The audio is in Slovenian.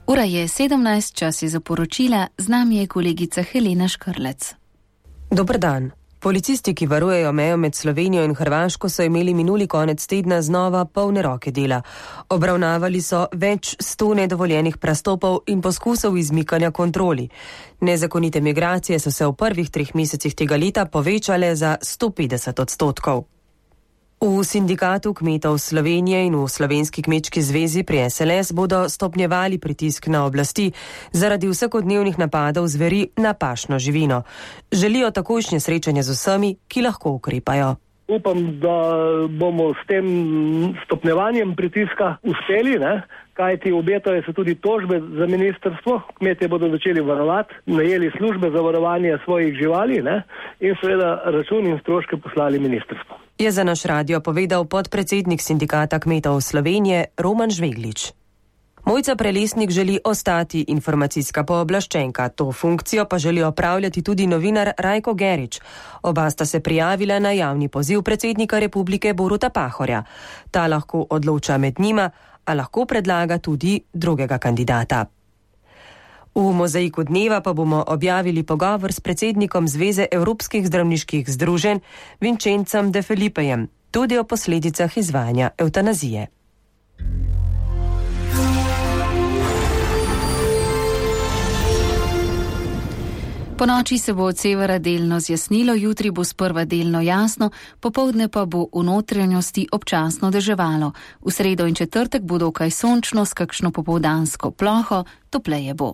Ura je 17, čas je za poročila, z nami je kolegica Helena Škrlec. Dober dan. Policisti, ki varujejo mejo med Slovenijo in Hrvaško, so imeli minuli konec tedna znova polne roke dela. Obravnavali so več 100 nedovoljenih prestopov in poskusov izmikanja kontroli. Nezakonite migracije so se v prvih 3 mesecih tega leta povečale za 150%. V Sindikatu kmetov Slovenije in v Slovenski kmečki zvezi pri SLS bodo stopnjevali pritisk na oblasti zaradi vsakodnevnih napadov zveri na pašno živino. Želijo takojšnje srečanje z vsemi, ki lahko ukrepajo. Upam, da bomo s tem stopnjevanjem pritiska uspeli, kajti obetajo se tudi tožbe za ministrstvo. Kmetje bodo začeli varovati, najeli službe za varovanje svojih živali in seveda račun in stroške poslali ministrstvo. Je za naš radio povedal podpredsednik Sindikata kmetov Slovenije Roman Žveglič. Mojca Prelesnik želi ostati informacijska pooblaščenka, to funkcijo pa želi opravljati tudi novinar Rajko Gerič. Oba sta se prijavila na javni poziv predsednika republike Boruta Pahorja. Ta lahko odloča med njima, a lahko predlaga tudi drugega kandidata. V mozaiku dneva pa bomo objavili pogovor s predsednikom Zveze evropskih zdravniških združenj Vincencem De Felipejem, tudi o posledicah izvajanja evtanazije. Po noči se bo od severa delno zjasnilo, jutri bo sprva delno jasno, popoldne pa bo v notranjosti občasno deževalo. V sredo in četrtek bo dokaj sončno s kakšno popoldansko ploho, topleje bo.